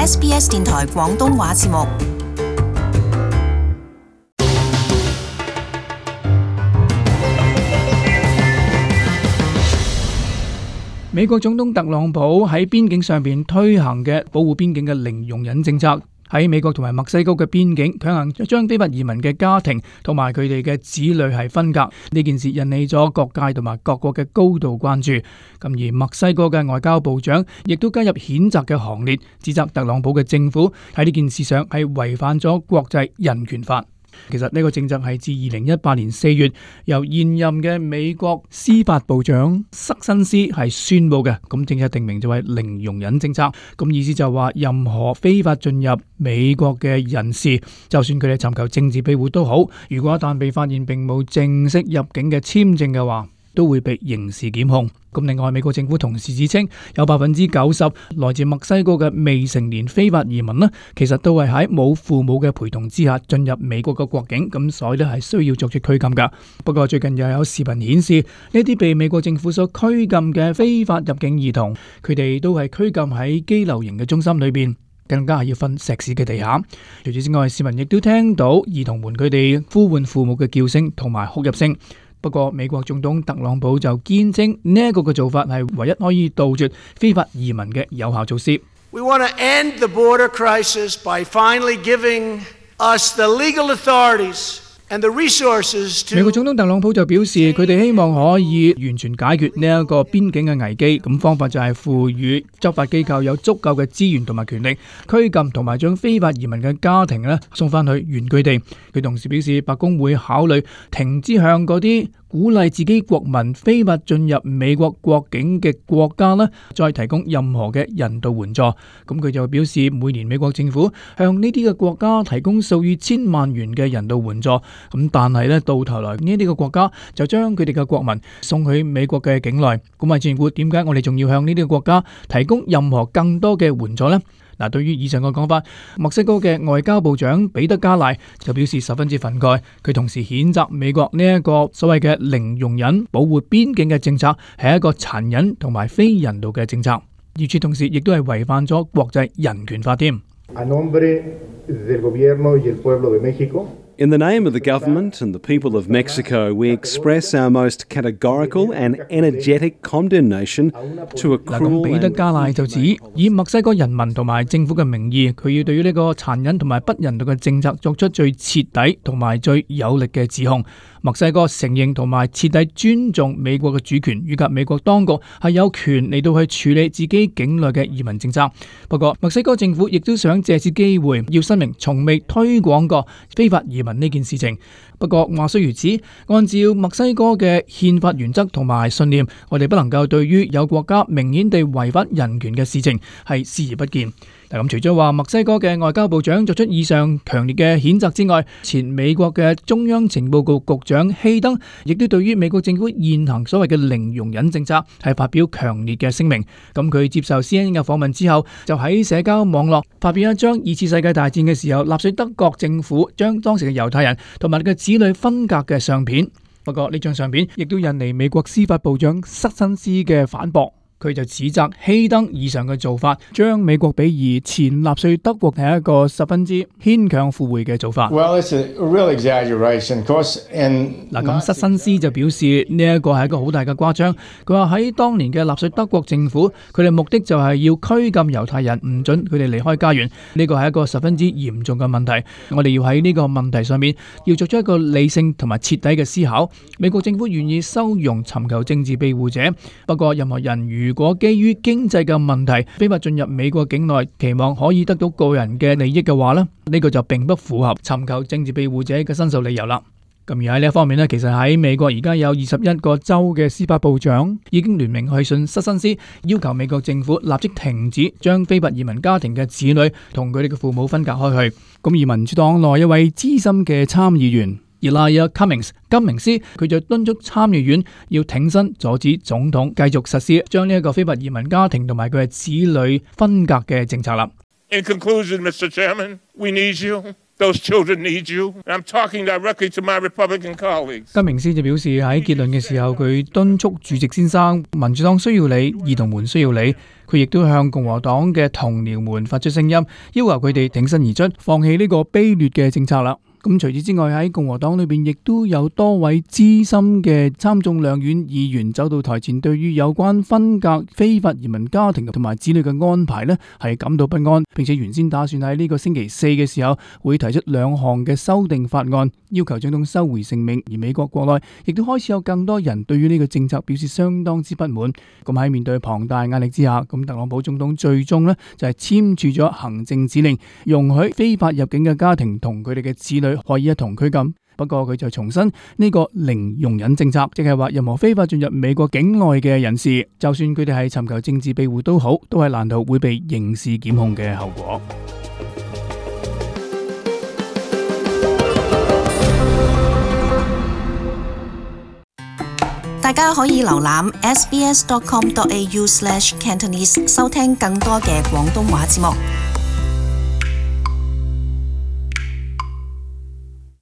SBS 電台廣東話節目。美國總統特朗普喺邊境上邊推行嘅保護邊境嘅零容忍政策，喺美國同埋墨西哥嘅邊境強行將非法移民嘅家庭同埋佢哋嘅子女係分隔，呢件事引起咗各界同埋各國嘅高度關注。咁而墨西哥嘅外交部長亦都加入譴責嘅行列，指責特朗普嘅政府喺呢件事上係違反咗國際人權法。其實呢個政策係自2018年4月由現任嘅美國司法部長塞申斯係宣布嘅。咁政策定名就係零容忍政策，咁意思就話任何非法進入美國嘅人士，就算佢哋尋求政治庇護都好，如果一旦被發現並冇正式入境嘅簽證嘅話，都會被刑事檢控。咁另外，美國政府同時指稱有90%來自墨西哥嘅未成年非法移民呢，其實都係喺冇父母嘅陪同之下進入美國嘅國境，咁所以呢係需要作出拘禁噶。不過最近又有視頻顯示，呢啲被美國政府所拘禁嘅非法入境兒童，佢哋都係拘禁喺羈留營嘅中心裏邊，更加係要瞓石屎嘅地下。除此之外，市民亦都聽到兒童們佢哋呼喚父母嘅叫聲同埋哭泣聲。不過美國總統特朗普就堅稱呢一個嘅做法係唯一可以杜絕非法移民嘅有效措施。We want to end the border crisis by finally giving us the legal authorities and the resources to。 美國總統特朗普就表示，佢哋希望可以完全解決呢一個邊境嘅危機，咁方法就係賦予執法機構有足夠嘅資源同埋權力，拘禁同埋將非法移民嘅家庭送翻去原居地。佢同時表示，白宮會考慮停止向嗰啲鼓勵自己國民非法進入美國國境嘅國家再提供任何嘅人道援助。咁佢就表示，每年美國政府向呢啲嘅國家提供數以千萬元嘅人道援助，咁但係到頭來呢啲嘅國家就將佢哋嘅國民送去美國嘅境內。咁啊，政府點解我哋仲要向呢啲嘅國家提供任何更多嘅援助呢？嗱，對於以上嘅講法，墨西哥嘅外交部長彼得加賴就表示十分之憤慨。佢同時譴責美國呢一個所謂嘅零容忍保護邊境嘅政策係一個殘忍同埋非人道嘅政策，與此同時亦都係違反咗國際人權法添。In the name of the government and the people of Mexico, we express our most categorical and energetic condemnation to a cruel。 彼得加賴就指，以墨西哥人民同埋政府嘅名義，佢要對於呢個殘忍同埋不人道嘅政策作出最徹底同埋最有力嘅指控。墨西哥承認同埋徹底尊重美國嘅主權，以及美國當局係有權嚟到去處理自己境內嘅移民政策。不過，墨西哥政府亦都想借此機會要申明從未推廣過非法移民呢件事情。不過話雖如此，按照墨西哥嘅憲法原則同埋信念，我哋不能夠對於有國家明顯地違反人權嘅事情係視而不見。咁除咗話墨西哥嘅外交部長作出以上強烈嘅譴責之外，前美國嘅中央情報局局長希登亦都對於美國政府現行所謂嘅零容忍政策係發表強烈嘅聲明。咁佢接受 CNN 嘅訪問之後，就喺社交網絡發表一張二次世界大戰嘅時候納粹德國政府將當時嘅猶太人同埋佢嘅子女分隔嘅相片。不過呢張相片亦都引嚟美國司法部長塞申斯嘅反駁。佢就指責希登以上嘅做法，將美國比擬前納粹德國係一個十分之牽強附會嘅做法。Well, it's a real exaggeration, of course. 咁塞申斯就表示呢一個係一個好大嘅誇張。佢話喺當年嘅納粹德國政府，佢哋目的就係要拘禁猶太人，唔准佢哋離開家園。呢個係一個十分之嚴重嘅問題。我哋要喺呢個問題上面要作出一個理性同埋徹底嘅思考。美國政府願意收容尋求政治庇護者，不過任何人如果基於經濟嘅問題非法進入美國境內，期望可以得到個人嘅利益嘅話呢個就並不符合尋求政治庇護者嘅申訴理由啦。咁而喺呢一方面其實喺美國而家有21個州嘅司法部長已經聯名去信塞申斯，要求美國政府立即停止將非法移民家庭嘅子女同佢哋嘅父母分隔開去。咁而民主黨內一位資深嘅參議員Elijah Cummings 金明斯，佢就敦促參議院要挺身阻止總統繼續實施將呢一個非法移民家庭同埋佢嘅子女分隔嘅政策啦。In conclusion, Mr. Chairman, we need you. Those children need you. I'm talking directly to my Republican colleagues. 金明斯就表示喺結論嘅時候，佢敦促主席先生，民主黨需要你，兒童們需要你。佢亦都向共和黨嘅同僚們發出聲音，要求佢哋挺身而出，放棄呢個卑劣嘅政策啦。咁除此之外，喺共和黨裏邊亦都有多位資深嘅參眾兩院議員走到台前，對於有關分隔非法移民家庭同埋子女嘅安排呢係感到不安，並且原先打算喺呢個星期四嘅時候會提出2項嘅修訂法案，要求總統收回成命。而美國國內亦都開始有更多人對於呢個政策表示相當之不滿。咁喺面對龐大壓力之下，咁特朗普總統最終呢就係簽署咗行政指令，容許非法入境嘅家庭同佢哋嘅子女可以一同拘禁。不過佢就重申呢個零容忍政策，即係話任何非法進入美國境內嘅人士，就算佢哋係尋求政治庇護都好，都係難逃會被刑事檢控嘅後果。大家可以瀏覽 sbs.com.au/cantonese 收聽更多嘅廣東話節目。